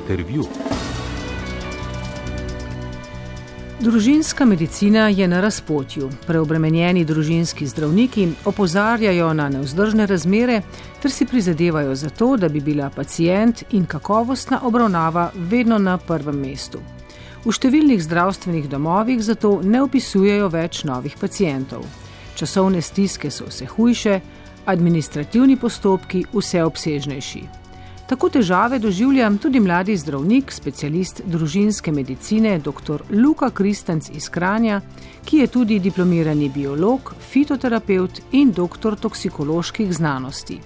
Intervju. Družinska medicina je na razpotju. Preobremenjeni družinski zdravniki opozarjajo na nevzdržne razmere ter si prizadevajo za to, da bi bila pacient in kakovostna obravnava vedno na prvem mestu. V številnih zdravstvenih domovih zato ne vpisujejo več novih pacientov. Časovne stiske so vse hujše, administrativni postopki vse obsežnejši. Tako težave doživlja tudi mladi zdravnik, specialist družinske medicine dr. Luka Kristanc iz Kranja, ki je tudi diplomirani biolog, fitoterapevt in doktor toksikoloških znanosti.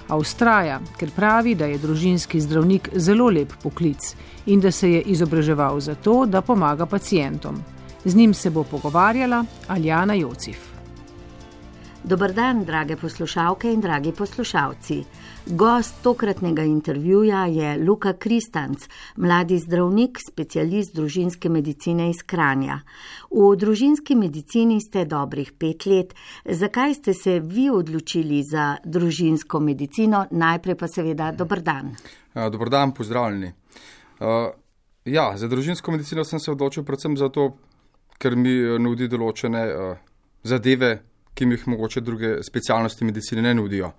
A vztraja, ker pravi, da je družinski zdravnik zelo lep poklic in da se je izobraževal za to, da pomaga pacientom. Z njim se bo pogovarjala Aljana Jocif. Dober dan, drage poslušalke in dragi poslušalci. Gost tokratnega intervjuja je Luka Kristanc, mladi zdravnik, specialist družinske medicine iz Kranja. V družinski medicini ste dobrih 5 let. Zakaj ste se vi odločili za družinsko medicino? Najprej pa seveda dober dan. Dober dan, pozdravljeni. Za družinsko medicino sem se odločil predvsem zato, ker mi nudi določene zadeve, ki mi jih mogoče druge specialnosti medicine ne nudijo.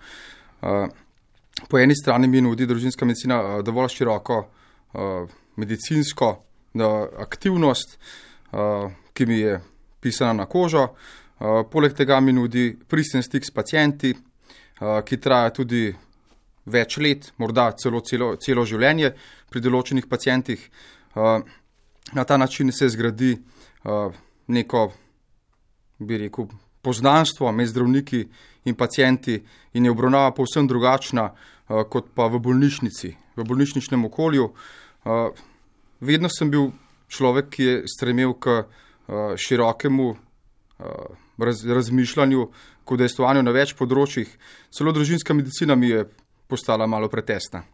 Po eni strani mi nudi družinska medicina dovolj široko medicinsko aktivnost, ki mi je pisana na kožo. Poleg tega mi nudi pristen stik s pacienti, ki traja tudi več let, morda celo življenje pri določenih pacientih. Na ta način se zgradi neko, bi rekel, poznanstvo med zdravniki in pacienti in je obravnava povsem drugačna kot pa v bolnišnici, v bolnišničnem okolju. Vedno sem bil človek, ki je stremel k širokemu razmišljanju, k udejstvovanju na več področjih. Celo družinska medicina mi je postala malo pretesna.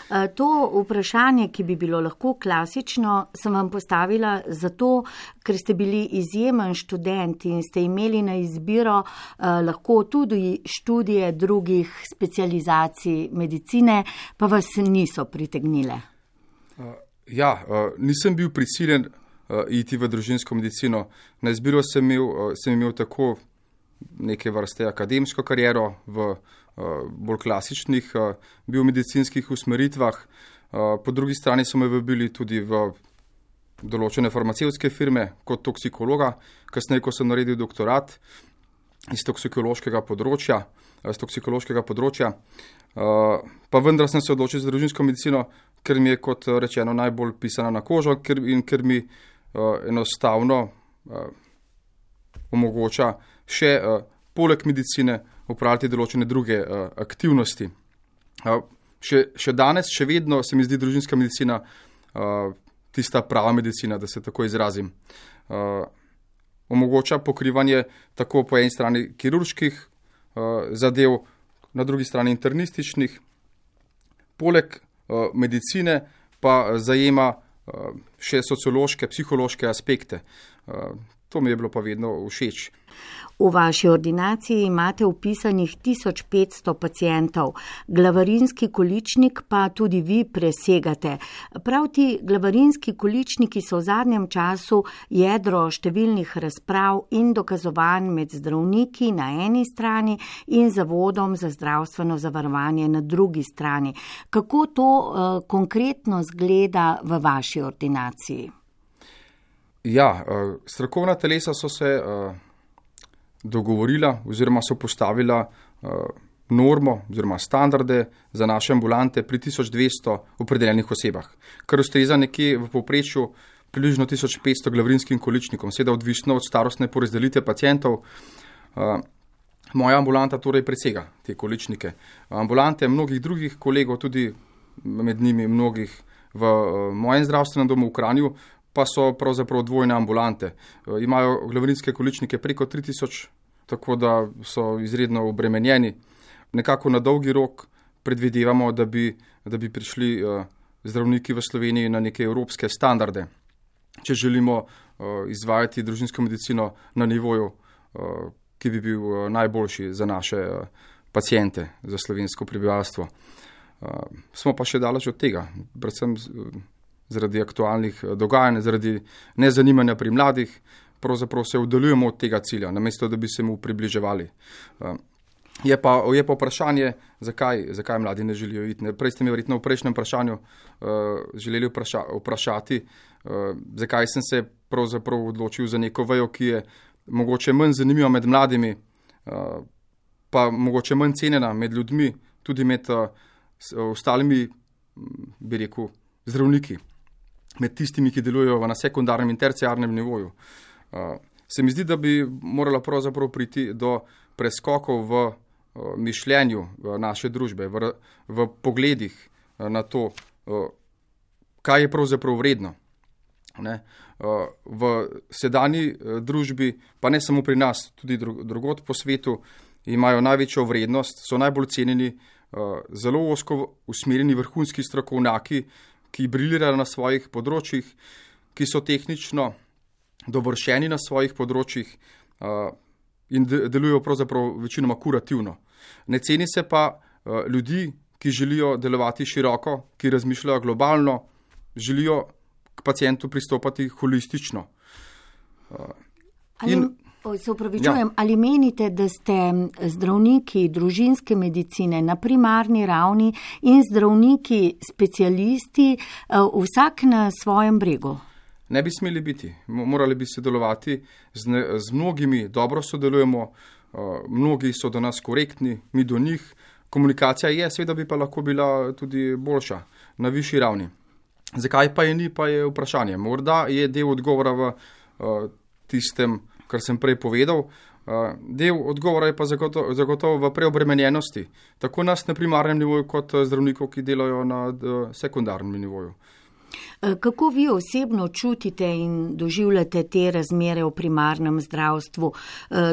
To vprašanje, ki bi bilo lahko klasično, sem vam postavila zato, ker ste bili izjemen študent in ste imeli na izbiro lahko tudi študije drugih specializacij medicine, pa vas niso pritegnile. Nisem bil prisiljen iti v družinsko medicino. Na izbiro sem imel tako neke vrste akademsko kariero v bolj klasičnih biomedicinskih usmeritvah. Po drugi strani so me vabili tudi v določene farmacevtske firme kot toksikologa, kasneje, ko sem naredil doktorat iz toksikološkega področja. Pa vendar sem se odločil za družinsko medicino, ker mi je, kot rečeno, najbolj pisana na kožo in ker mi enostavno omogoča še poleg medicine upravljati določene druge aktivnosti. Še danes, še vedno se mi zdi družinska medicina tista prava medicina, da se tako izrazim. Omogoča pokrivanje tako po eni strani kirurških zadev, na drugi strani internističnih. Poleg medicine pa zajema še sociološke, psihološke aspekte. To mi je bilo pa vedno všeč. V vaši ordinaciji imate vpisanih 1500 pacientov, glavarinski količnik pa tudi vi presegate. Prav ti glavarinski količniki so v zadnjem času jedro številnih razprav in dokazovanj med zdravniki na eni strani in Zavodom za zdravstveno zavarovanje na drugi strani. Kako to konkretno zgleda v vaši ordinaciji? Strokovna telesa so se dogovorila oziroma so postavila normo oziroma standarde za naše ambulante pri 1200 opredeljenih osebah, kar ustreza nekje v povprečju približno 1500 glavarinskim količnikom, seveda odvisno od starostne porazdelitve pacientov. Moja ambulanta torej presega te količnike. Ambulante mnogih drugih kolegov, tudi med njimi mnogih v mojem zdravstvenem domu v Kranju, pa so pravzaprav dvojne ambulante. Imajo glavarinske količnike preko 3000, tako da so izredno obremenjeni. Nekako na dolgi rok predvidevamo, da bi prišli zdravniki v Sloveniji na neke evropske standarde, če želimo izvajati družinsko medicino na nivoju, ki bi bil najboljši za naše paciente, za slovensko prebivalstvo. Smo pa še daleč od tega, predvsem zaradi aktualnih dogajanj, zaradi nezanimanja pri mladih, pravzaprav se oddaljujemo od tega cilja, namesto da bi se mu približevali. Je pa vprašanje, zakaj mladi ne želijo iti. Prej ste mi verjetno v prejšnjem vprašanju želeli vprašati, zakaj sem se pravzaprav odločil za neko vejo, ki je mogoče manj zanimiva med mladimi, pa mogoče manj cenjena med ljudmi, tudi med ostalimi, bi rekel, zdravniki, med tistimi, ki delujejo na sekundarnem in terciarnem nivoju. Se mi zdi, da bi morala pravzaprav priti do preskokov v mišljenju naše družbe, v pogledih na to, kaj je pravzaprav vredno. V sedanji družbi, pa ne samo pri nas, tudi drugod po svetu, imajo največjo vrednost, so najbolj cenjeni zelo ozko usmerjeni vrhunski strokovnjaki, ki briljirajo na svojih področjih, ki so tehnično dovršeni na svojih področjih in delujejo pravzaprav večinoma kurativno. Ne ceni se pa ljudi, ki želijo delovati široko, ki razmišljajo globalno, želijo k pacientu pristopati holistično. Se upravičujem, ali menite, da ste zdravniki družinske medicine na primarni ravni in zdravniki specialisti vsak na svojem bregu? Ne bi smeli biti. Morali bi sodelovati z mnogimi, dobro sodelujemo, mnogi so do nas korektni, mi do njih. Komunikacija je, seveda bi pa lahko bila tudi boljša, na višji ravni. Zakaj pa je ni, pa je vprašanje. Morda je del odgovora v tistem, kar sem prej povedal. Del odgovora je pa zagotovo v preobremenjenosti, tako nas na primarnem nivoju, kot zdravnikov, ki delajo na sekundarnem nivoju. Kako vi osebno čutite in doživljate te razmere v primarnem zdravstvu?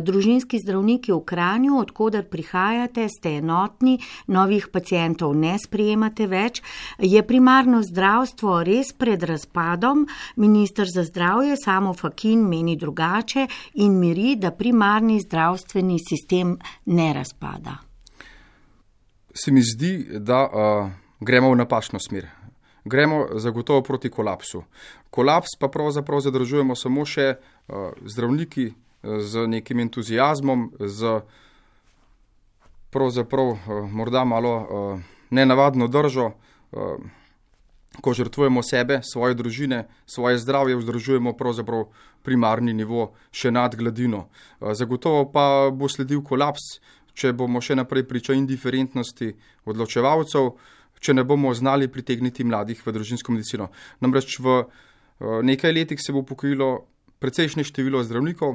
Družinski zdravniki v Kranju, odkoder prihajate, ste enotni, novih pacientov ne sprejemate več. Je primarno zdravstvo res pred razpadom? Minister za zdravje Samo Fakin meni drugače in miri, da primarni zdravstveni sistem ne razpada. Se mi zdi, da gremo v napačno smer. Gremo zagotovo proti kolapsu. Kolaps pa pravzaprav zadržujemo samo še zdravniki z nekim entuzijazmom, z pravzaprav morda malo nenavadno držo, ko žrtvujemo sebe, svoje družine, svoje zdravje, vzdržujemo pravzaprav primarni nivo še nad gladino. Zagotovo pa bo sledil kolaps, če bomo še naprej priča indiferentnosti odločevalcev, če ne bomo znali pritegniti mladih v družinsko medicino. Namreč v nekaj letih se bo upokojilo precejšnje število zdravnikov,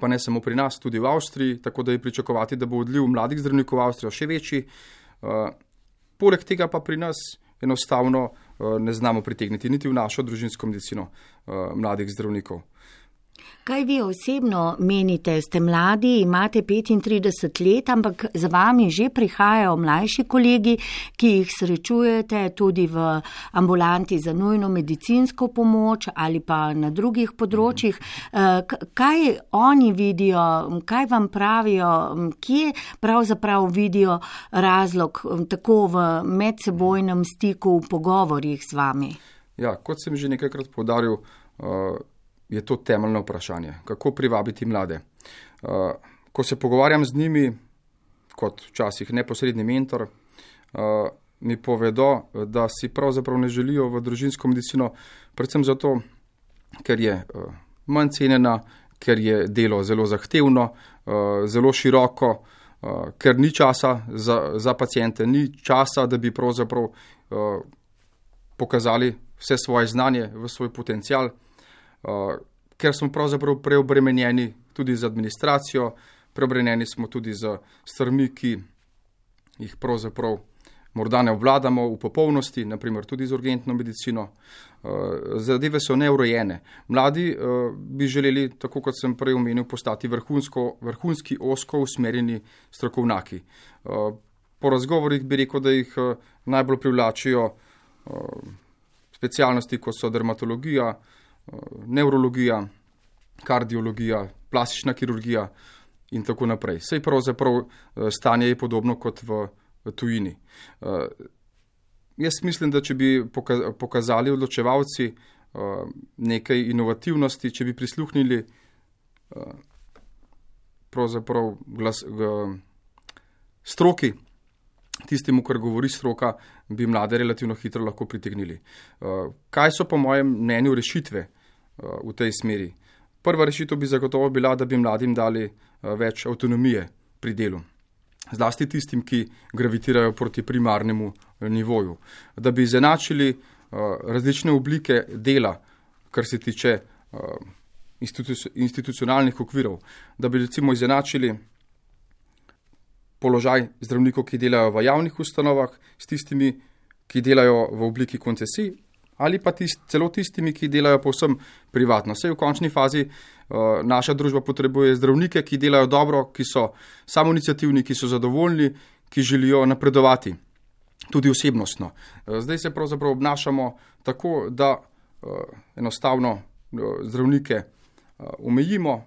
pa ne samo pri nas, tudi v Avstriji, tako da je pričakovati, da bo odliv mladih zdravnikov v Avstrijo še večji. Poleg tega pa pri nas enostavno ne znamo pritegniti niti v našo družinsko medicino mladih zdravnikov. Kaj vi osebno menite? Ste mladi, imate 35 let, ampak za vami že prihajajo mlajši kolegi, ki jih srečujete tudi v ambulanti za nujno medicinsko pomoč ali pa na drugih področjih. Kaj oni vidijo, kaj vam pravijo, kje pravzaprav vidijo razlog tako v medsebojnem stiku, v pogovorjih z vami? Ja, kot sem že nekajkrat poudaril, je to temeljno vprašanje. Kako privabiti mlade? Ko se pogovarjam z njimi, kot včasih neposredni mentor, mi povedo, da si pravzaprav ne želijo v družinsko medicino, predvsem zato, ker je manj cenjena, ker je delo zelo zahtevno, zelo široko, ker ni časa za paciente, ni časa, da bi pravzaprav pokazali vse svoje znanje, v svoj potencial, ker smo pravzaprav preobremenjeni tudi z administracijo, preobremenjeni smo tudi z stvarmi, ki jih pravzaprav morda ne obvladamo v popolnosti, naprimer tudi z urgentno medicino. Zadeve so neurejene. Mladi bi želeli, tako kot sem prej omenil, postati vrhunski ozko usmerjeni strokovnjaki. Po razgovorih bi rekel, da jih najbolj privlačijo specialnosti, kot so dermatologija, nevrologija, kardiologija, plastična kirurgija in tako naprej. Sej pravzaprav stanje je podobno kot v tujini. Jaz mislim, da če bi pokazali odločevalci nekaj inovativnosti, če bi prisluhnili pravzaprav stroki, tistemu, kar govori stroka, bi mlade relativno hitro lahko pritegnili. Kaj so po mojem mnenju rešitve v tej smeri? Prva rešitev bi zagotovo bila, da bi mladim dali več avtonomije pri delu. Zlasti tistim, ki gravitirajo proti primarnemu nivoju. Da bi izenačili različne oblike dela, kar se tiče institucionalnih okvirov. Da bi recimo izenačili položaj zdravnikov, ki delajo v javnih ustanovah, s tistimi, ki delajo v obliki koncesij, ali pa celo tistimi, ki delajo povsem privatno. Saj v končni fazi naša družba potrebuje zdravnike, ki delajo dobro, ki so samoiniciativni, ki so zadovoljni, ki želijo napredovati, tudi osebnostno. Zdaj se pravzaprav obnašamo tako, da enostavno zdravnike omejimo,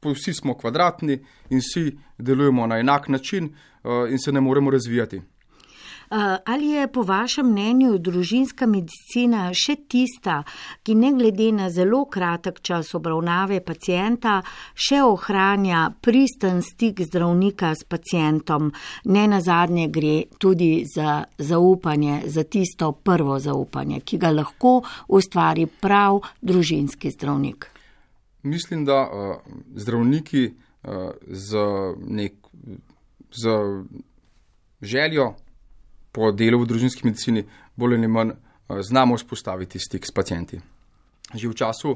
vsi smo kvadratni in vsi delujemo na enak način in se ne moremo razvijati. Ali je po vašem mnenju družinska medicina še tista, ki ne glede na zelo kratek čas obravnave pacienta, še ohranja pristen stik zdravnika s pacientom? Ne nazadnje gre tudi za zaupanje, za tisto prvo zaupanje, ki ga lahko ustvari prav družinski zdravnik. Mislim, da zdravniki z željo po delu v družinski medicini bolj ali manj znamo vzpostaviti stik s pacienti. Že v času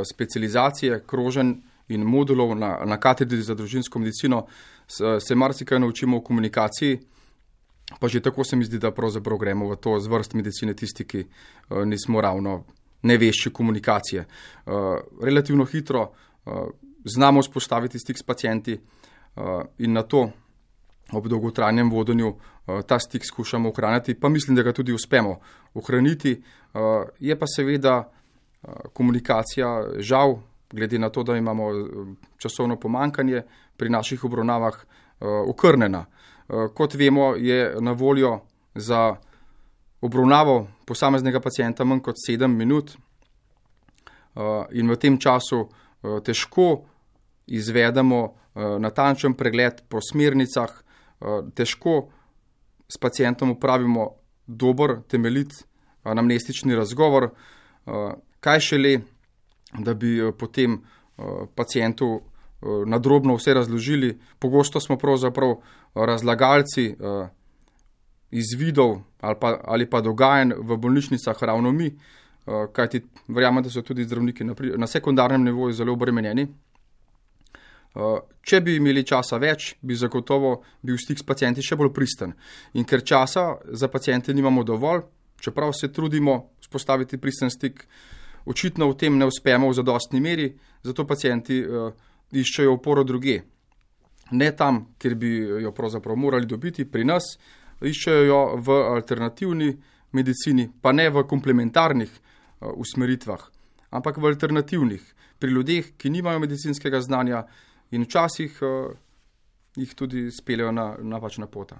specializacije, kroženj in modulov na katedri za družinsko medicino se marsikaj naučimo o komunikaciji, pa že tako se mi zdi, da pravzaprav gremo v to zvrst medicine tisti, ki nismo ravno nevešči komunikacije. Relativno hitro znamo vzpostaviti stik s pacienti in na to ob dolgotrajnem vodenju ta stik skušamo ohraniti, pa mislim, da ga tudi uspemo ohraniti. Je pa seveda komunikacija žal, glede na to, da imamo časovno pomankanje pri naših obravnavah, okrnjena. Kot vemo, je na voljo za obravnavo posameznega pacienta manj kot 7 minut in v tem času težko izvedemo natančen pregled po smernicah, težko s pacientom upravimo dober, temeljit anamnestični razgovor, kaj šele, da bi potem pacientu nadrobno vse razložili. Pogosto smo pravzaprav razlagalci izvidov ali pa dogajanj v bolnišnicah ravno mi, kajti verjamem, da so tudi zdravniki na sekundarnem nivoju zelo obremenjeni. Če bi imeli časa več, bi zagotovo bil stik s pacienti še bolj pristen. In ker časa za paciente nimamo dovolj, čeprav se trudimo vzpostaviti pristen stik, očitno v tem ne uspemo v zadostni meri, zato pacienti iščejo oporo drugje. Ne tam, kjer bi jo pravzaprav morali dobiti pri nas, iščejo jo v alternativni medicini, pa ne v komplementarnih usmeritvah, ampak v alternativnih, pri ljudeh, ki nimajo medicinskega znanja in včasih jih tudi speljajo na napačna pota.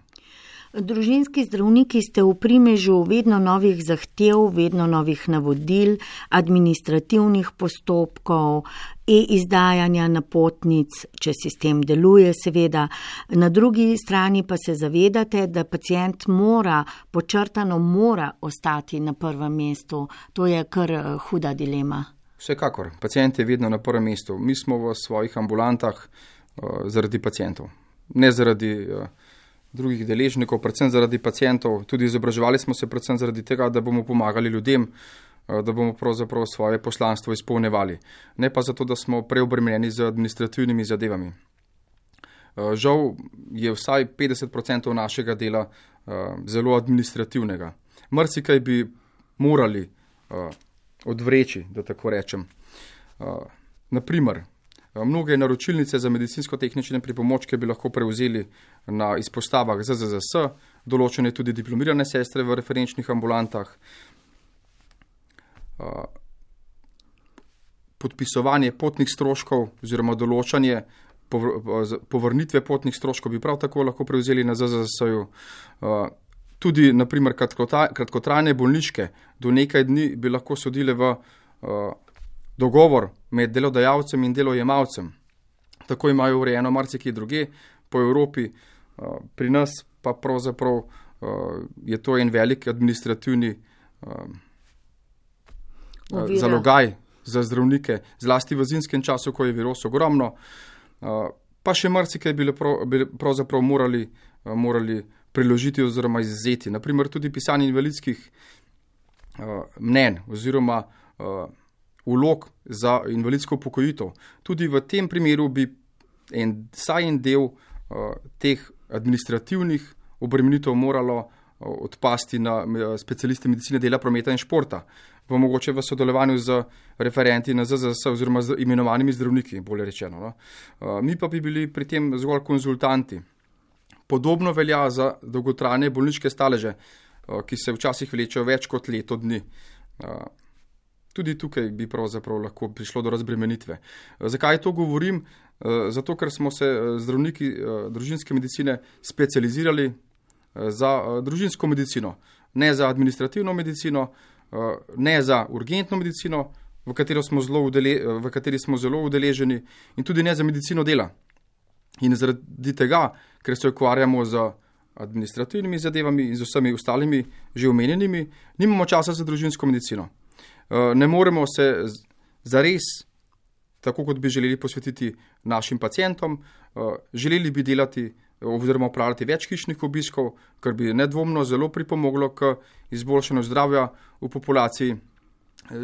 Družinski zdravniki ste v primežu vedno novih zahtev, vedno novih navodil, administrativnih postopkov, izdajanja napotnic, če sistem deluje seveda. Na drugi strani pa se zavedate, da pacient podčrtano mora ostati na prvem mestu. To je kar huda dilema. Vsekakor, pacient je vedno na prvem mestu. Mi smo v svojih ambulantah zaradi pacientov, ne zaradi drugih deležnikov, predvsem zaradi pacientov. Tudi izobraževali smo se predvsem zaradi tega, da bomo pomagali ljudem, da bomo pravzaprav svoje poslanstvo izpolnjevali. Ne pa zato, da smo preobremenjeni z administrativnimi zadevami. Žal je vsaj 50% našega dela zelo administrativnega. Marsikaj bi morali odvreči, da tako rečem. Naprimer, mnoge naročilnice za medicinsko-tehnične pripomočke bi lahko prevzeli na izpostavah ZZZS, določene tudi diplomirane sestre v referenčnih ambulantah. Podpisovanje potnih stroškov oziroma določanje povrnitve potnih stroškov bi prav tako lahko prevzeli na ZZZS-ju. Tudi, naprimer, kratkotrajne bolniške do nekaj dni bi lahko sodile v dogovor med delodajalcem in delojemalcem. Tako imajo urejeno marsikje druge po Evropi, pri nas pa pravzaprav je to en velik administrativni zalogaj za zdravnike, zlasti v zimskem času, ko je virus ogromno, pa še marsikaj bi pravzaprav morali preložiti oziroma izzeti. Naprimer tudi pisanje invalidskih mnenj oziroma vlog za invalidsko upokojitev. Tudi v tem primeru bi vsaj en del teh administrativnih obremenitev moralo odpasti na specialiste medicine dela, prometa in športa, mogoče v sodelovanju z referenti na ZZS oziroma z imenovanimi zdravniki, bolje rečeno. No. Mi pa bi bili pri tem zgolj konzultanti. Podobno velja za dolgotrajne bolniške staleže, ki se včasih vlečejo več kot leto dni. Tudi tukaj bi pravzaprav lahko prišlo do razbremenitve. Zakaj to govorim? Zato, ker smo se zdravniki družinske medicine specializirali za družinsko medicino, ne za administrativno medicino, ne za urgentno medicino, v kateri smo zelo udeleženi, in tudi ne za medicino dela. In zaradi tega, ker se ukvarjamo z administrativnimi zadevami in z vsemi ostalimi že omenjenimi, nimamo časa za družinsko medicino. Ne moremo se zares, tako kot bi želeli, posvetiti našim pacientom. Želeli bi delati oziroma upravljati več hišnih obiskov, kar bi nedvomno zelo pripomoglo k izboljšanju zdravja v populaciji.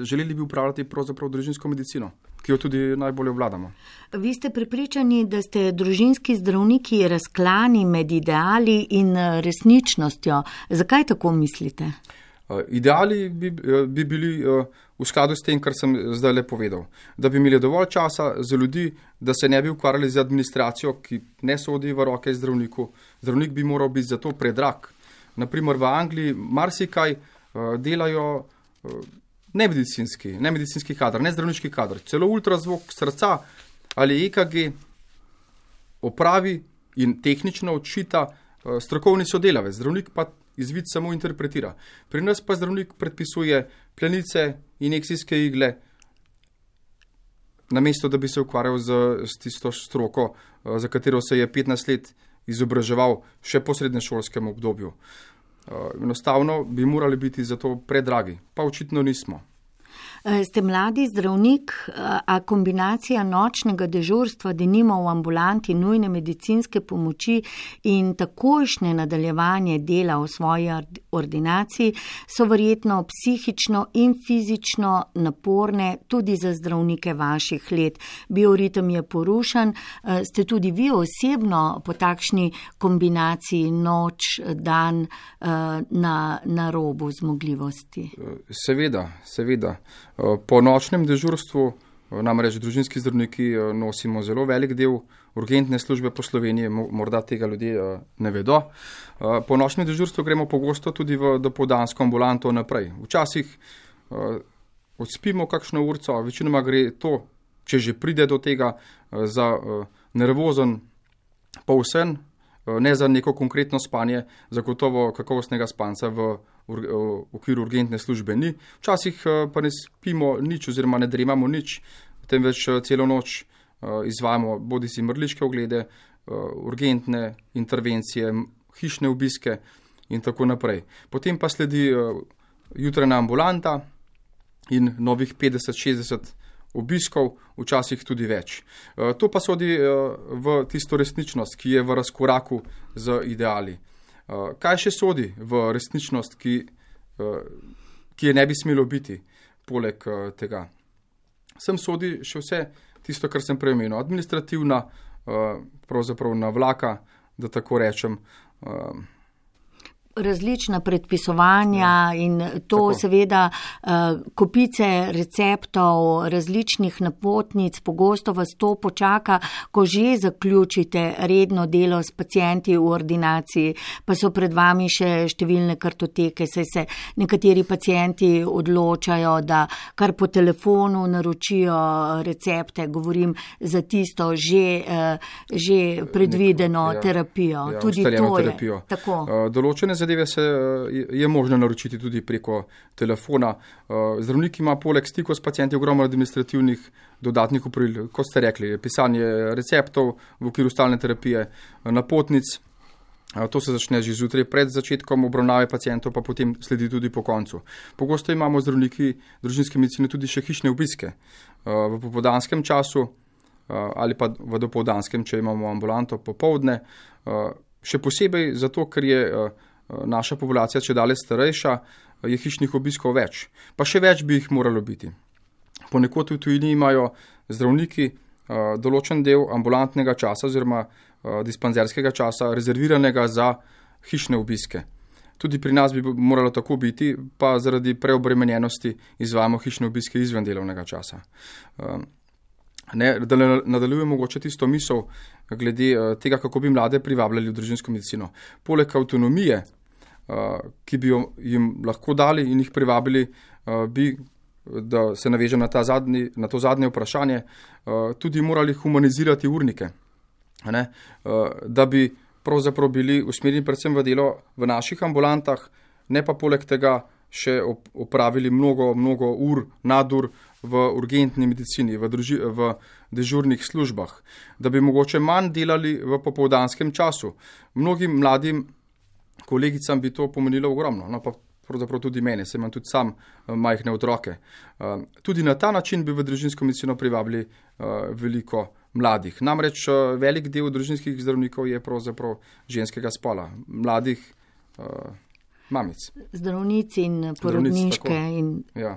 Želeli bi upravljati pravzaprav družinsko medicino, ki jo tudi najbolje obvladamo. Vi ste prepričani, da ste družinski zdravniki razklani med ideali in resničnostjo. Zakaj tako mislite? Ideali bi bili v skladu s tem, kar sem zdaj le povedal. Da bi imeli dovolj časa za ljudi, da se ne bi ukvarjali z administracijo, ki ne sodi v roke zdravniku. Zdravnik bi moral biti zato predrag. Naprimer v Angliji marsikaj delajo nemedicinski kadr, ne zdravniški kadr. Celo ultrazvok srca ali EKG opravi in tehnično odčita strokovni sodelavec. Zdravnik pa izvid samo interpretira. Pri nas pa zdravnik predpisuje plenice, injekcijske igle, namesto da bi se ukvarjal z tisto stroko, za katero se je 15 let izobraževal še po srednješolskem obdobju. Enostavno bi morali biti zato predragi, pa očitno nismo. Ste mladi zdravnik, a kombinacija nočnega dežurstva, denimo v ambulanti nujne medicinske pomoči in takojšnje nadaljevanje dela v svoji ordinaciji so verjetno psihično in fizično naporne tudi za zdravnike vaših let. Bioritem je porušen. Ste tudi vi osebno po takšni kombinaciji noč, dan na robu zmogljivosti? Seveda. Po nočnem dežurstvu, namreč družinski zdravniki nosimo zelo velik del urgentne službe po Sloveniji, morda tega ljudje ne vedo. Po nočnem dežurstvu gremo pogosto tudi v dopoldansko ambulanto naprej. Včasih odspimo kakšno urco, večinoma gre to, če že pride do tega, za nervozen polsen, ne za neko konkretno spanje, zagotovo kakovostnega spanca v okviru urgentne službe ni. Včasih pa ne spimo nič oziroma ne dremamo nič, temveč celo noč izvajamo bodisi mrliške oglede, urgentne intervencije, hišne obiske in tako naprej. Potem pa sledi jutrajna ambulanta in novih 50-60 obiskov, včasih tudi več. To pa sodi v tisto resničnost, ki je v razkoraku z ideali. Kaj še sodi v resničnost, ki je ne bi smelo biti poleg tega? Sem sodi še vse tisto, kar sem prej omenil, administrativna, pravzaprav navlaka, da tako rečem, različna predpisovanja in to tako. Seveda kopice receptov, različnih napotnic, pogosto vas to počaka, ko že zaključite redno delo s pacienti v ordinaciji, pa so pred vami še številne kartoteke, saj se nekateri pacienti odločajo, da kar po telefonu naročijo recepte, govorim za tisto že predvideno terapijo. Tudi to terapijo. Je tako. Določene zadeve je možno naročiti tudi preko telefona. Zdravnik ima poleg stikov s pacienti ogromno administrativnih dodatnih opravil, kot ste rekli, pisanje receptov v okviru stalne terapije, napotnic. To se začne že zjutraj pred začetkom obravnave pacientov, pa potem sledi tudi po koncu. Pogosto imamo zdravniki družinske medicine tudi še hišne obiske v popoldanskem času ali pa v dopoldanskem, če imamo ambulanto popoldne. Še posebej zato, ker je naša populacija čedalje starejša, je hišnih obiskov več. Pa še več bi jih moralo biti. Ponekod v tujini imajo zdravniki določen del ambulantnega časa oziroma dispanzerskega časa rezerviranega za hišne obiske. Tudi pri nas bi moralo tako biti, pa zaradi preobremenjenosti izvajamo hišne obiske izven delovnega časa. Da nadaljujem mogoče tisto misel glede tega, kako bi mlade privabljali v družinsko medicino. Poleg avtonomije, ki bi jo jim lahko dali in jih privabili, da se navežem na to zadnje vprašanje, tudi morali humanizirati urnike. Da bi pravzaprav bili usmerjeni predvsem v delo v naših ambulantah, ne pa poleg tega še opravili mnogo ur, nadur v urgentni medicini, v dežurnih službah, da bi mogoče manj delali v popoldanskem času. Mnogim mladim kolegicam bi to pomenilo ogromno, no pa pravzaprav tudi mene, se imam tudi sam majhne otroke. Tudi na ta način bi v družinsko medicino privabili veliko mladih. Namreč velik del družinskih zdravnikov je pravzaprav ženskega spola, mladih mamic. Zdravnici in porodniške. Ja.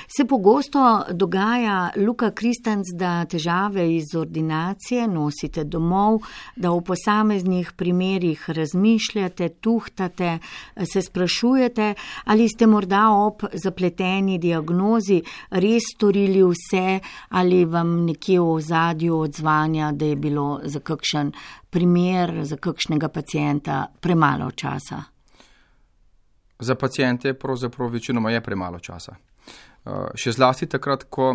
Se pogosto dogaja, Luka Kristanc, da težave iz ordinacije nosite domov, da v posameznih primerih razmišljate, tuhtate, se sprašujete, ali ste morda ob zapleteni diagnozi res storili vse, ali vam nekje v ozadju odzvanja, da je bilo za kakšen primer, za kakšnega pacienta premalo časa. Za pacijente pravzaprav večinoma je premalo časa. Še zlasti takrat, ko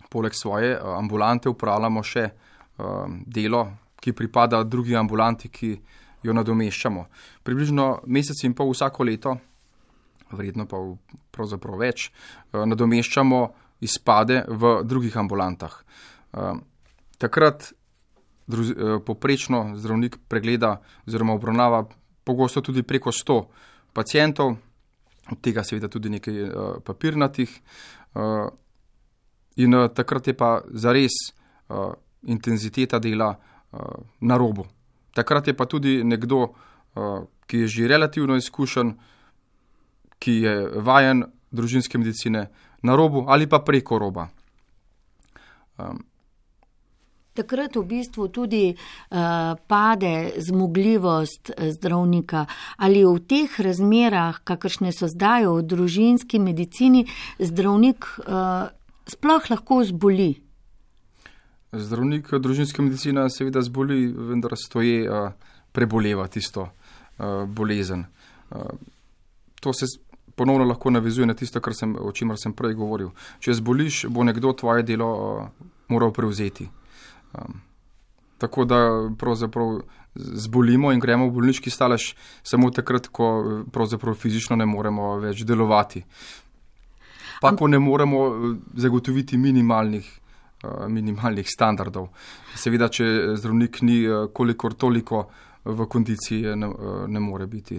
poleg svoje ambulante upravljamo še delo, ki pripada drugi ambulanti, ki jo nadomeščamo. Približno mesec in pol vsako leto, vredno pa pravzaprav več, nadomeščamo izpade v drugih ambulantah. Takrat poprečno zdravnik pregleda oziroma obravnava pogosto tudi preko 100 pacientov, od tega seveda tudi nekaj papirnatih, in takrat je pa zares intenziteta dela na robu. Takrat je pa tudi nekdo, ki je že relativno izkušen, ki je vajen družinske medicine, na robu ali pa preko roba. Takrat v bistvu tudi pade zmogljivost zdravnika. Ali v teh razmerah, kakršne so zdaj v družinski medicini, zdravnik sploh lahko zboli? Zdravnik družinske medicine seveda zboli, vendar stoje preboleva tisto bolezen. To se ponovno lahko navezuje na tisto, o čemer sem prej govoril. Če zboliš, bo nekdo tvoje delo moral prevzeti. Tako da pravzaprav zbolimo in gremo v bolniški stalež samo takrat, ko pravzaprav fizično ne moremo več delovati. Pa ko ne moremo zagotoviti minimalnih standardov. Seveda, če zdravnik ni kolikor toliko v kondiciji, ne more biti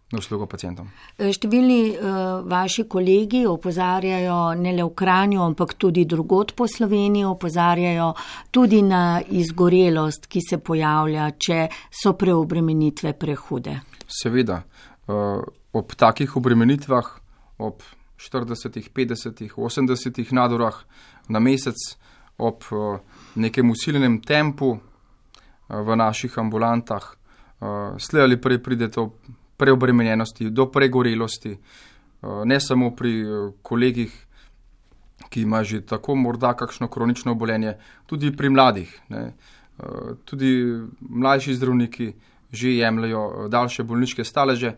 na uslugo pacientom. Številni vaši kolegi opozarjajo ne le v Kranju, ampak tudi drugod po Sloveniji, opozarjajo tudi na izgorelost, ki se pojavlja, če so preobremenitve prehude. Seveda, ob takih obremenitvah, ob 40, 50, 80 nadurah na mesec, ob nekem usiljenem tempu v naših ambulantah, slej ali prej pride to preobremenjenosti, do pregorelosti, ne samo pri kolegih, ki ima že tako morda kakšno kronično obolenje, tudi pri mladih. Tudi mlajši zdravniki že jemljajo daljše bolniške staleže.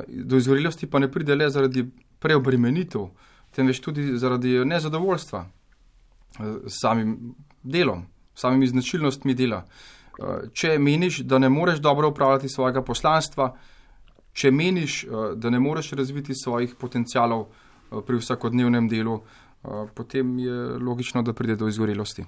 Do izgorelosti pa ne pride le zaradi preobremenitev, temveč tudi zaradi nezadovoljstva s samim delom, samimi značilnostmi dela. Če meniš, da ne moreš dobro upravljati svojega poslanstva, če meniš, da ne moreš razviti svojih potencialov pri vsakodnevnem delu, potem je logično, da pride do izgorelosti.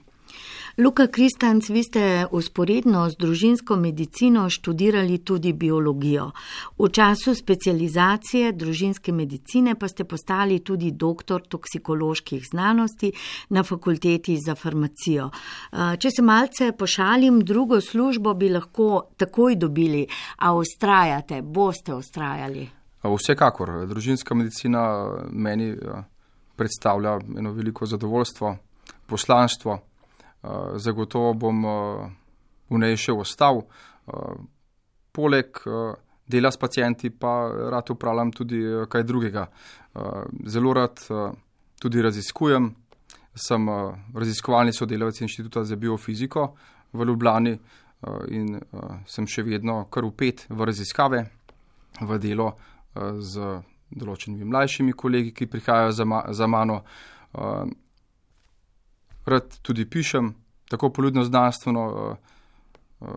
Luka Kristanc, vi ste usporedno z družinsko medicino študirali tudi biologijo. V času specializacije družinske medicine pa ste postali tudi doktor toksikoloških znanosti na fakulteti za farmacijo. Če se malce pošalim, drugo službo bi lahko takoj dobili, a vztrajate, boste vztrajali? Vsekakor. Družinska medicina meni predstavlja eno veliko zadovoljstvo, poslanstvo. Zagotovo bom v njej še ostal. Poleg dela s pacienti pa rad upravljam tudi kaj drugega. Zelo rad tudi raziskujem. Sem raziskovalni sodelavec Inštituta za biofiziko v Ljubljani in sem še vedno kar vpet v raziskave, v delo z določenimi mlajšimi kolegi, ki prihajajo za mano. Rad tudi pišem, tako poljudno-znanstveno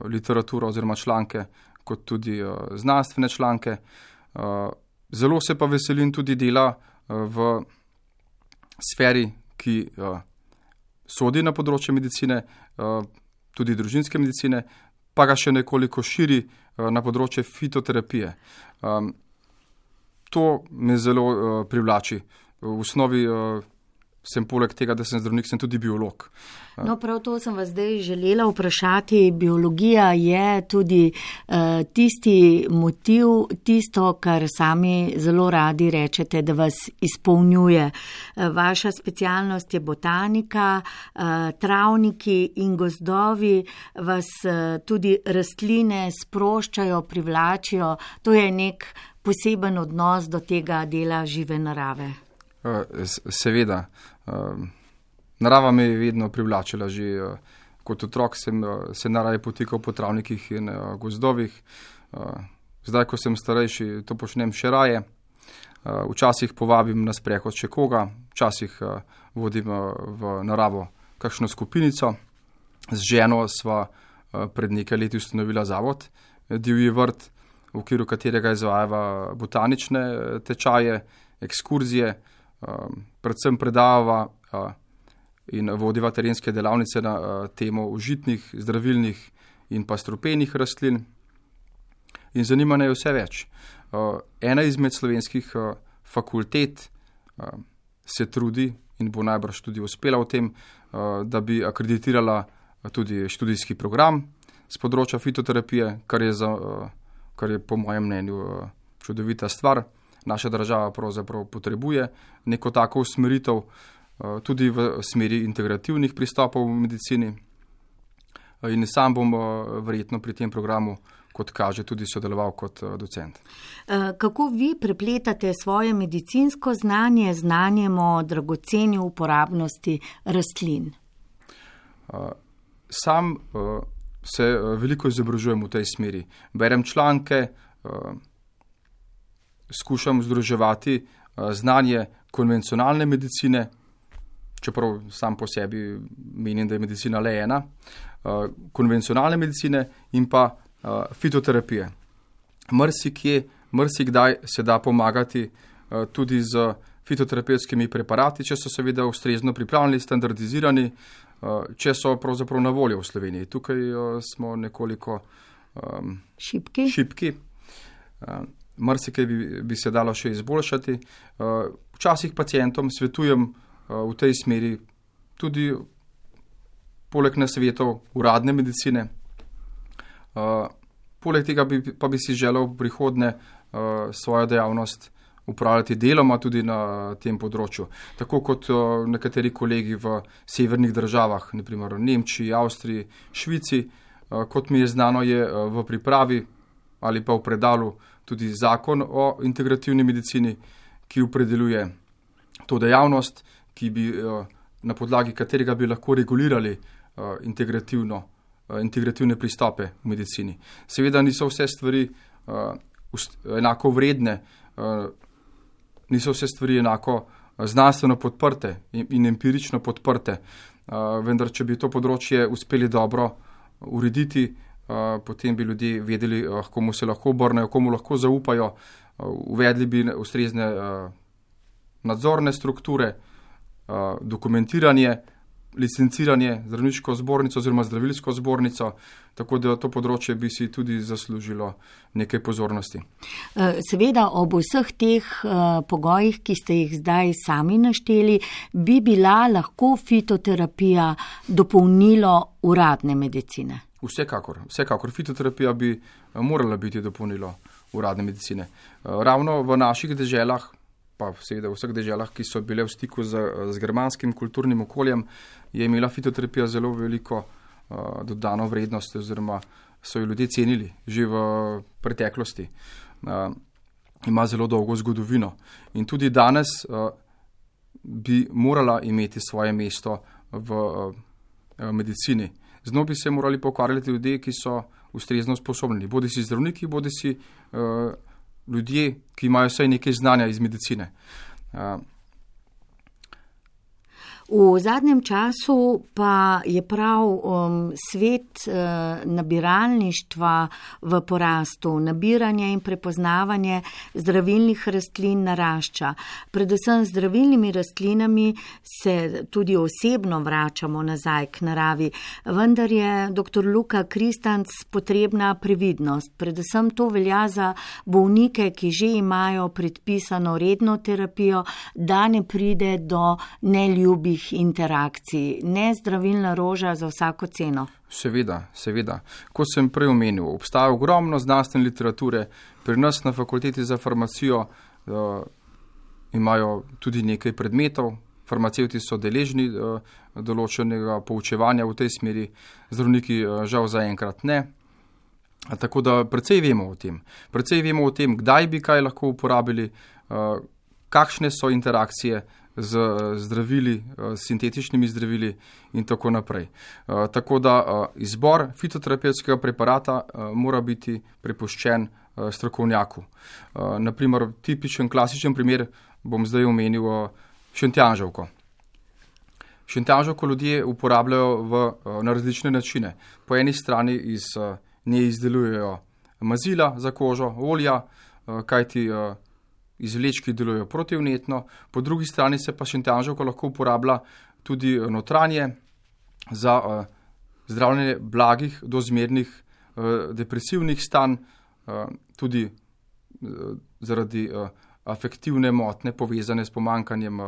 literaturo oziroma članke, kot tudi znanstvene članke. Zelo se pa veselim tudi dela v sferi, ki sodi na področje medicine, tudi družinske medicine, pa ga še nekoliko širi na področje fitoterapije. To me zelo privlači. V osnovi sem poleg tega, da sem zdravnik, sem tudi biolog. No, prav to sem vas zdaj želela vprašati. Biologija je tudi tisti motiv, tisto, kar sami zelo radi rečete, da vas izpolnjuje. Vaša specialnost je botanika, travniki in gozdovi vas tudi rastline sproščajo, privlačijo. To je nek poseben odnos do tega dela žive narave. Seveda. Narava me je vedno privlačila. Že kot otrok sem se naraje potikal po travnikih in gozdovih. Zdaj, ko sem starejši, to počnem še raje. Včasih povabim na sprehod še koga, včasih vodim v naravo kakšno skupinico. Z ženo sva pred nekaj leti ustanovila zavod Divji vrt, v okviru katerega izvajava botanične tečaje, ekskurzije, predvsem predava in vodiva terenske delavnice na temo užitnih, zdravilnih in pa strupenih rastlin. In zanimanje je vse več. Ena izmed slovenskih fakultet se trudi in bo najbrž tudi uspela v tem, da bi akreditirala tudi študijski program z področja fitoterapije, kar je po mojem mnenju čudovita stvar. Naša država pravzaprav potrebuje neko tako usmeritev tudi v smeri integrativnih pristopov v medicini. In sam bom verjetno pri tem programu, kot kaže, tudi sodeloval kot docent. Kako vi prepletate svoje medicinsko znanje z znanjem o dragoceni uporabnosti rastlin? Sam se veliko izobražujem v tej smeri. Berem članke, skušam združevati znanje konvencionalne medicine, čeprav sam po sebi menim, da je medicina le ena, konvencionalne medicine in pa fitoterapije. Marsikdaj se da pomagati tudi z fitoterapevtskimi preparati, če so seveda ustrezno pripravljeni, standardizirani, če so pravzaprav na voljo v Sloveniji. Tukaj smo nekoliko šibki. Marsikaj bi se dalo še izboljšati. Včasih pacientom svetujem v tej smeri tudi poleg nasvetov uradne medicine. Poleg tega pa bi si želel v prihodnje svojo dejavnost upravljati deloma tudi na tem področju. Tako kot nekateri kolegi v severnih državah, naprimer v Nemčiji, Avstriji, Švici, kot mi je znano, je v pripravi ali pa v predalu tudi zakon o integrativni medicini, ki opredeljuje to dejavnost, ki bi, na podlagi katerega bi lahko regulirali integrativne pristope v medicini. Seveda niso vse stvari enako vredne, niso vse stvari enako znanstveno podprte in empirično podprte, vendar če bi to področje uspeli dobro urediti, potem bi ljudje vedeli, komu se lahko obrnejo, komu lahko zaupajo, uvedli bi ustrezne nadzorne strukture, dokumentiranje, licenciranje, zdravniško zbornico oziroma zdravilsko zbornico, tako da to področje bi si tudi zaslužilo nekaj pozornosti. Seveda ob vseh teh pogojih, ki ste jih zdaj sami našteli, bi bila lahko fitoterapija dopolnilo uradne medicine. Vsekakor. Fitoterapija bi morala biti dopolnilo uradne medicine. Ravno v naših deželah, pa seveda v vseh deželah, ki so bile v stiku z germanskim kulturnim okoljem, je imela fitoterapija zelo veliko dodano vrednost, oziroma so jo ljudje cenili že v preteklosti. Ima zelo dolgo zgodovino in tudi danes bi morala imeti svoje mesto v medicini. Z njo bi se morali pokvarjati ljudje, ki so ustrezno sposobni, bodi si zdravniki, bodi si ljudje, ki imajo vsaj nekaj znanja iz medicine. V zadnjem času pa je prav svet nabiralništva v porastu. Nabiranje in prepoznavanje zdravilnih rastlin narašča. Predvsem z zdravilnimi rastlinami se tudi osebno vračamo nazaj k naravi. Vendar je dr. Luka Kristanc potrebna previdnost. Predvsem to velja za bolnike, ki že imajo predpisano redno terapijo, da ne pride do neljubih interakcij, ne zdravilna roža za vsako ceno. Seveda. Kot sem prej omenil, obstaja ogromno znanstvene literature. Pri nas na fakulteti za farmacijo imajo tudi nekaj predmetov. Farmacevti so deležni določenega poučevanja v tej smeri, zdravniki žal zaenkrat ne. Tako da precej vemo o tem, kdaj bi kaj lahko uporabili, kakšne so interakcije z zdravili, sintetičnimi zdravili in tako naprej. Tako da izbor fitoterapevtskega preparata mora biti prepuščen strokovnjaku. Naprimer, tipičen, klasičen primer bom zdaj omenil šentjanževko. Šentjanževko ljudje uporabljajo na različne načine. Po eni strani iz nje izdelujejo mazila za kožo, olja, kajti izvlečki delujejo protivnetno, po drugi strani se pa šentjanževka lahko uporablja tudi notranje za zdravljenje blagih do zmernih depresivnih stanj, tudi zaradi afektivne motnje povezane s pomanjkanjem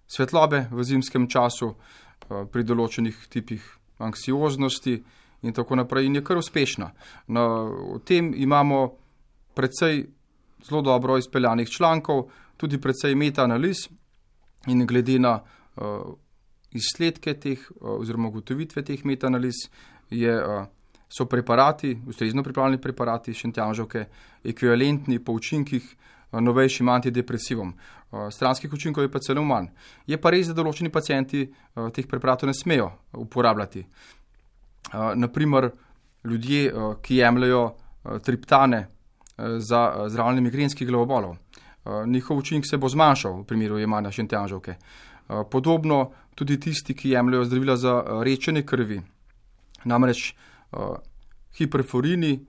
svetlobe v zimskem času, pri določenih tipih anksioznosti in tako naprej, in je kar uspešna. O tem imamo precej zelo dobro izpeljanih člankov, tudi precej metaanaliz, in glede na izsledke teh oziroma ugotovitve teh metaanaliz so preparati, ustrezno pripravljeni preparati šentjanževke ekvivalentni po učinkih novejšim antidepresivom. Stranskih učinkov je pa celo manj. Je pa res, da določeni pacienti teh preparatov ne smejo uporabljati. Naprimer, ljudje, ki jemljajo triptane za zdravljenje migrenskih glavobolov. Njihov učinek se bo zmanjšal v primeru jemanja šentjanževke. Podobno tudi tisti, ki jemljajo zdravila za redčenje krvi. Namreč hiperforini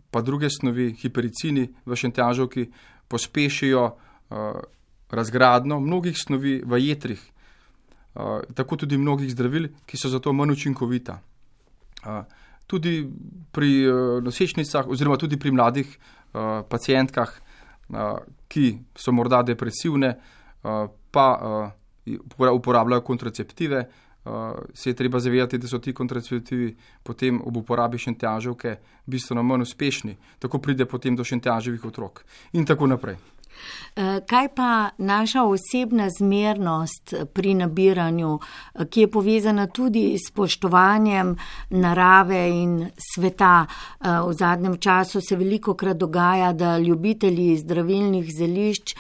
pa druge snovi, hipericini v šentjanževki pospešijo razgradnjo mnogih snovi v jetrih, tako tudi mnogih zdravil, ki so zato manj učinkovita. Tudi pri nosečnicah oziroma tudi pri mladih pacientkah, ki so morda depresivne, pa uporabljajo kontraceptive, se je treba zavedati, da so ti kontraceptivi potem ob uporabi šentjanževke bistveno manj uspešni. Tako pride potem do šentjanževih otrok in tako naprej. Kaj pa naša osebna zmernost pri nabiranju, ki je povezana tudi s spoštovanjem narave in sveta? V zadnjem času se velikokrat dogaja, da ljubitelji zdravilnih zelišč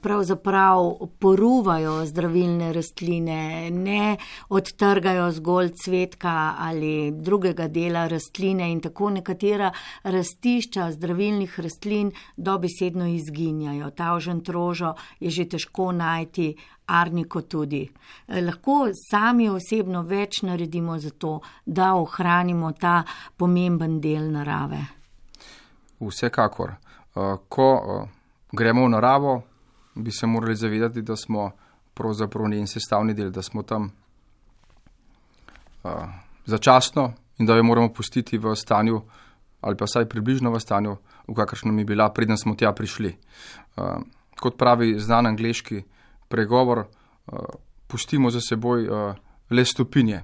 pravzaprav poruvajo zdravilne rastline, ne odtrgajo zgolj cvetka ali drugega dela rastline in tako nekatera rastišča zdravilnih rastlin dobesedno izginjajo. omenjajo. Tavžentrožo je že težko najti, arniko tudi. Lahko sami osebno več naredimo za to, da ohranimo ta pomemben del narave. Vsekakor. Ko gremo v naravo, bi se morali zavedati, da smo pravzaprav njen sestavni del, da smo tam začasno in da jo moramo pustiti v stanju, ali pa vsaj približno v stanju, v kakršnem je bila, preden smo tja prišli. Kot pravi znan angleški pregovor, pustimo za seboj le stopinje.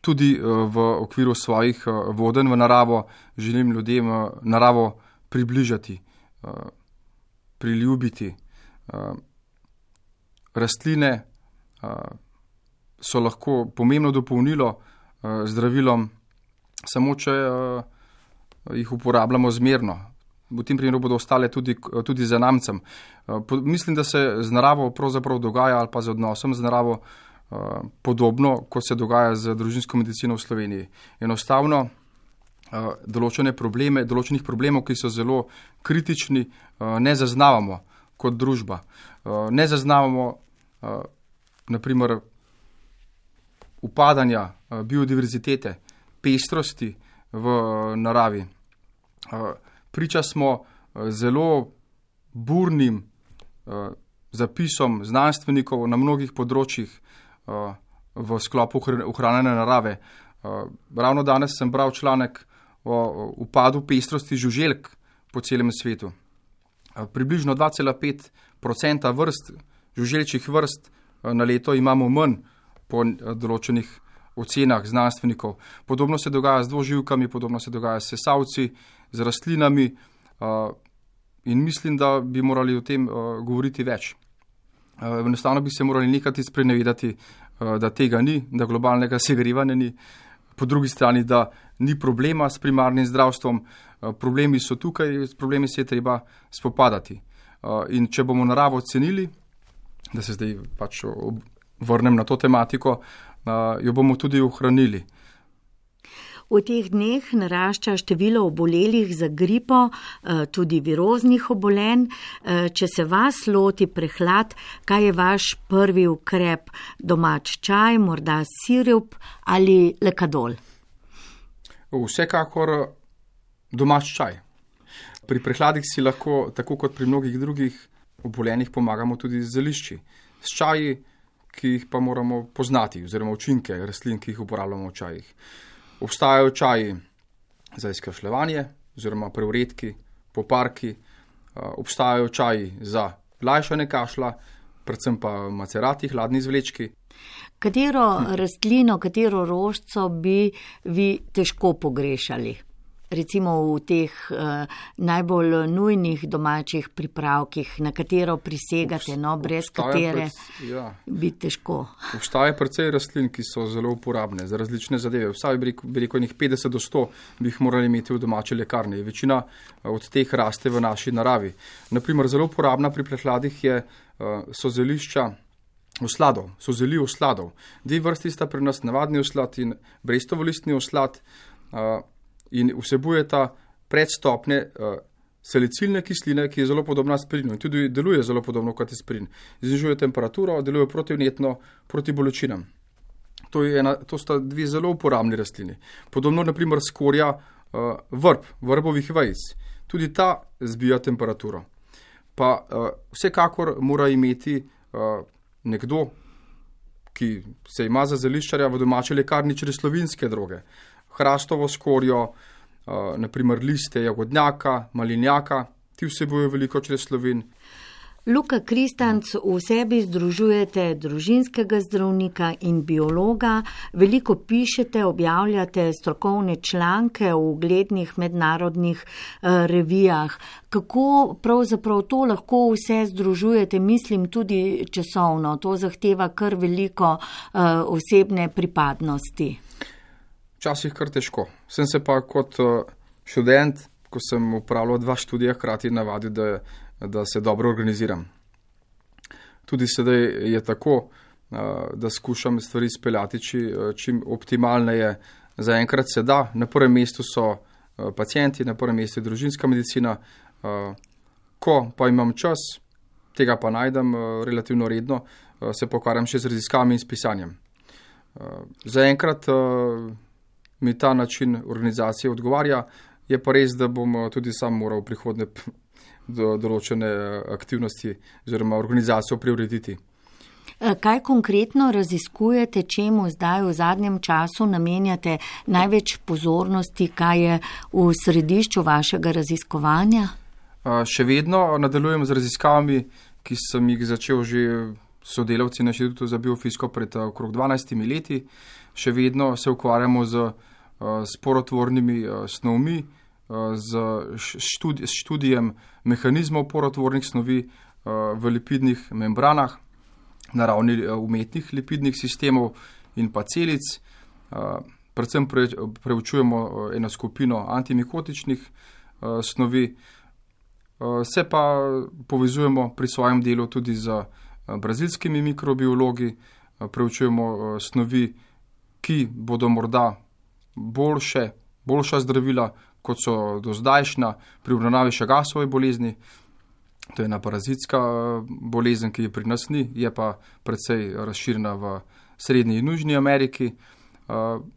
Tudi v okviru svojih vodenj v naravo želim ljudem naravo približati, priljubiti. Rastline so lahko pomembno dopolnilo zdravilom, samo če jih uporabljamo zmerno. V tem primeru bodo ostale tudi zanamcem. Mislim, da se z naravo pravzaprav dogaja, ali pa z odnosom z naravo, podobno, kot se dogaja z družinsko medicino v Sloveniji. Enostavno določenih problemov, ki so zelo kritični, ne zaznavamo kot družba. Ne zaznavamo naprimer upadanja biodiverzitete, pestrosti v naravi. Priča smo zelo burnim zapisom znanstvenikov na mnogih področjih v sklopu ohranjanja narave. Ravno danes sem bral članek o upadu pestrosti žuželk po celem svetu. Približno 2,5% žuželčjih vrst na leto imamo manj po določenih ocenah znanstvenikov. Podobno se dogaja z dvoživkami, podobno se dogaja s sesavci, z rastlinami in mislim, da bi morali o tem govoriti več. Enostavno bi se morali nekati sprenevedati, da tega ni, da globalnega segrevanja ni, po drugi strani, da ni problema s primarnim zdravstvom, problemi so tukaj, s problemi se je treba spopadati. In če bomo naravo cenili, da se zdaj pač vrnem na to tematiko, jo bomo tudi ohranili. V teh dneh narašča število obolelih za gripo, tudi viroznih obolenj. Če se vas loti prehlad, kaj je vaš prvi ukrep? Domač čaj, morda sirup ali lekadol? Vsekakor domač čaj. Pri prehladih si lahko, tako kot pri mnogih drugih obolenjih, pomagamo tudi z zelišči. S čaji, ki jih pa moramo poznati, oziroma učinke rastlin, ki jih uporabljamo v čajih. Obstajajo čaji za izkašljevanje, oziroma preuredki, poparki, obstajajo čaji za lajšanje kašlja, predvsem pa macerati, hladni izvlečki. Katero rastlino, katero rožico bi vi težko pogrešali? Recimo v teh najbolj nujnih domačih pripravkih, na katero prisegate, brez katere bi težko. Obstaja precej rastlin, ki so zelo uporabne za različne zadeve. Vsaj bi rekel, 50 do 100 bi jih morali imeti v domači lekarni. Večina od teh raste v naši naravi. Naprimer, zelo uporabna pri prehladih so zelišča osladov, so zeli osladov. Dve vrsti sta pri nas, navadni oslad in brestovolistni oslad, in vsebujeta predstopne salicilne kisline, ki je zelo podobna aspirinu in tudi deluje zelo podobno kot aspirin. Znižuje temperaturo, deluje protivnetno proti bolečinam. To sta dve zelo uporabni rastlini. Podobno naprimer skorja vrbovih vejic. Tudi ta zbija temperaturo. Pa vsekakor mora imeti nekdo, ki se ima za zeliščarja v domači lekarni, slovinske droge. Hrastovo skorjo, naprimer liste jagodnjaka, malinjaka, ti vsebujejo veliko čreslovin. Luka Kristanc, v sebi združujete družinskega zdravnika in biologa, veliko pišete, objavljate strokovne članke v uglednih mednarodnih revijah. Kako pravzaprav to lahko vse združujete, mislim tudi časovno, to zahteva kar veliko osebne pripadnosti. Včasih kar težko. Sem se pa kot študent, ko sem upravljal 2 študija, hkrati navadil, da se dobro organiziram. Tudi sedaj je tako, da skušam stvari speljati čim optimalneje. Zaenkrat se da. Na prvem mestu so pacienti, na prvem mestu je družinska medicina. Ko pa imam čas, tega pa najdem relativno redno, se pokvarjam še z raziskavami in s pisanjem. Zaenkrat mi ta način organizacije odgovarja, je pa res, da bom tudi sam moral v prihodnje določene aktivnosti oziroma organizacijo preurediti. Kaj konkretno raziskujete, čemu zdaj v zadnjem času namenjate največ pozornosti, kaj je v središču vašega raziskovanja? Še vedno nadaljujem z raziskavami, ki sem jih začel že sodelavci na Inštitutu za biofiziko pred okrog 12 leti. Še vedno se ukvarjamo z sporotvornimi snovmi, z študijem mehanizmov porotvornih snovi v lipidnih membranah, na ravni umetnih lipidnih sistemov in pa celic. Predvsem preučujemo eno skupino antimikotičnih snovi. Se pa povezujemo pri svojem delu tudi z brazilskimi mikrobiologi, preučujemo snovi, ki bodo morda boljša zdravila, kot so dozdajšnja pri obravnavi Chagasove bolezni. To je ena parazitska bolezen, ki je pri nas ni, je pa precej razširjena v Srednji in Južni Ameriki.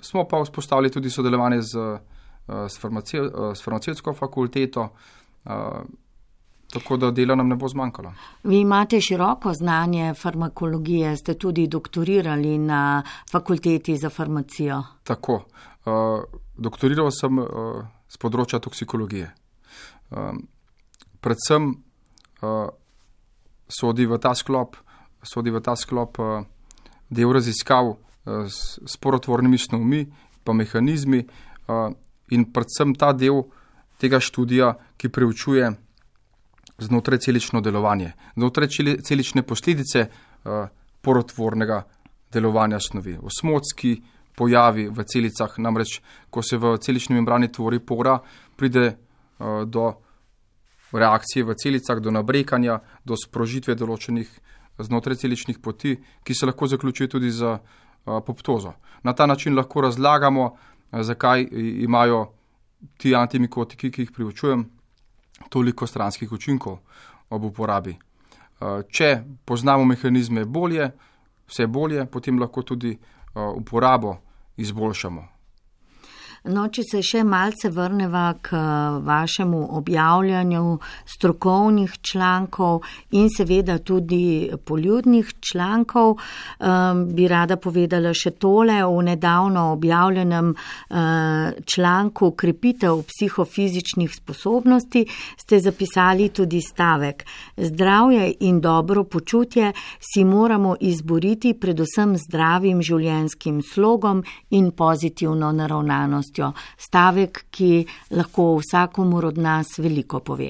Smo pa vzpostavili tudi sodelovanje s farmacevtsko fakulteto, tako da dela nam ne bo zmanjkalo. Vi imate široko znanje farmakologije, ste tudi doktorirali na fakulteti za farmacijo. Tako. Doktoriral sem z področja toksikologije. Predvsem sodi v ta sklop del raziskav s sporotvornimi snovmi pa mehanizmi in predvsem ta del tega študija, ki preučuje znotraj celično delovanje, znotraj celične posledice porotvornega delovanja snovi. Osmotski pojavi v celicah, namreč ko se v celični membrani tvori pora, pride do reakcije v celicah, do nabrekanja, do sprožitve določenih znotraj celičnih poti, ki se lahko zaključuje tudi z apoptozo. Na ta način lahko razlagamo, zakaj imajo ti antimikotiki, ki jih preučujem, toliko stranskih učinkov ob uporabi. Če poznamo mehanizme vse bolje, potem lahko tudi uporabo izboljšamo. No, če se še malce vrneva k vašemu objavljanju strokovnih člankov in seveda tudi poljudnih člankov, bi rada povedala še tole. V nedavno objavljenem članku Krepitev psihofizičnih sposobnosti ste zapisali tudi stavek: zdravje in dobro počutje si moramo izboriti predvsem zdravim življenjskim slogom in pozitivno naravnanost. Stavek, ki lahko vsakomur od nas veliko pove.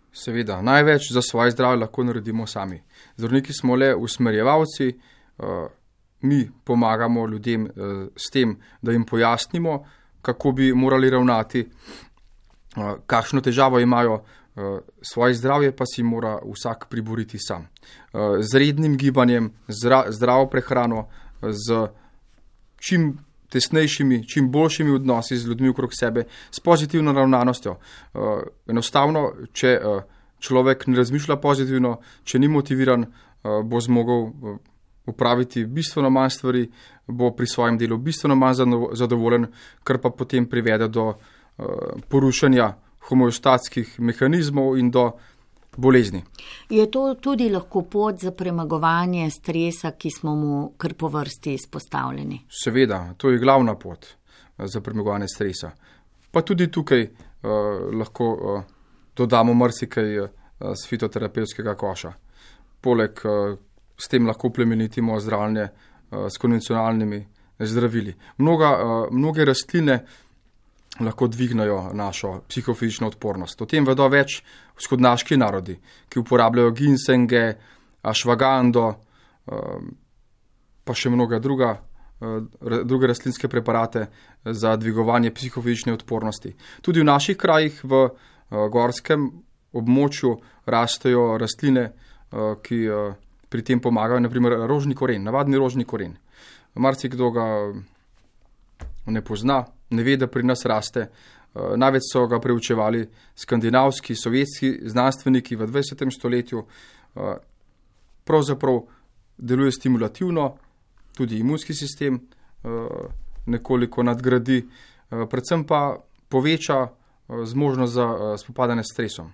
Seveda, največ za svoje zdravje lahko naredimo sami. Zdravniki smo le usmerjevalci, mi pomagamo ljudem s tem, da jim pojasnimo, kako bi morali ravnati, kakšno težavo imajo, svoje zdravje pa si mora vsak priboriti sam. Z rednim gibanjem, zdravo prehrano, z čim tesnejšimi, čim boljšimi odnosi z ljudmi okrog sebe, s pozitivno ravnanostjo. Enostavno, če človek ne razmišlja pozitivno, če ni motiviran, bo zmogel upraviti bistveno manj stvari, bo pri svojem delu bistveno manj zadovoljen, kar pa potem privede do porušanja homeostatskih mehanizmov in do bolezni. Je to tudi lahko pot za premagovanje stresa, ki smo mu kar po vrsti izpostavljeni? Seveda, to je glavna pot za premagovanje stresa. Pa tudi tukaj lahko dodamo marsikaj z fitoterapevtskega koša. Poleg s tem lahko plemenitimo zdravljenje s konvencionalnimi zdravili. Mnoge rastline lahko dvignajo našo psihofizično odpornost. O tem vedo več vzhodnaški narodi, ki uporabljajo ginsenge, ašvagando, pa še mnoga druge rastlinske preparate za dvigovanje psihofizične odpornosti. Tudi v naših krajih v gorskem območju rastejo rastline, ki pri tem pomagajo, naprimer rožni koren, navadni rožni koren. Marsikdo ga ne pozna, ne ve, da pri nas raste. Največ so ga preučevali skandinavski, sovjetski znanstveniki v 20. stoletju. Pravzaprav deluje stimulativno, tudi imunski sistem nekoliko nadgradi, predvsem pa poveča zmožnost za spopadanje s stresom.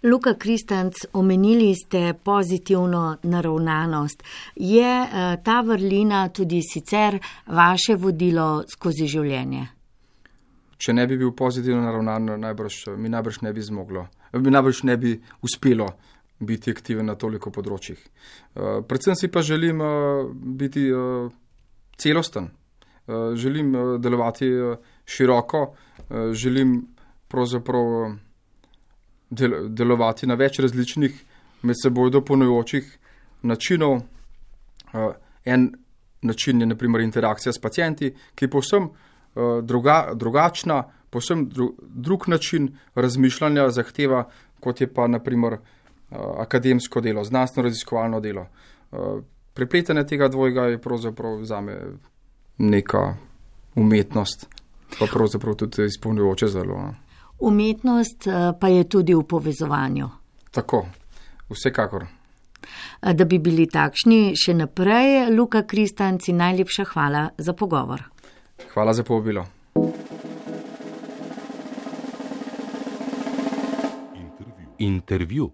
Luka Kristanc, omenili ste pozitivno naravnanost. Je ta vrlina tudi sicer vaše vodilo skozi življenje? Če ne bi bil pozitivno naravnan, mi najbrž ne bi uspelo biti aktiven na toliko področjih. Predvsem si pa želim biti celosten. Želim delovati široko, želim pravzaprav delovati na več različnih med seboj dopolnjujočih načinov. En način je na primer interakcija s pacienti, ki je povsem drugačna, povsem drug način razmišljanja zahteva, kot je pa na primer akademsko delo, znanstveno-raziskovalno delo. Prepletanje tega dvojega je pravzaprav zame neka umetnost, pa pravzaprav tudi izpolnjujoče zelo. Umetnost pa je tudi v povezovanju. Tako, vsekakor. Da bi bili takšni še naprej, Luka Kristanc, najlepša hvala za pogovor. Hvala za povabilo. Intervju.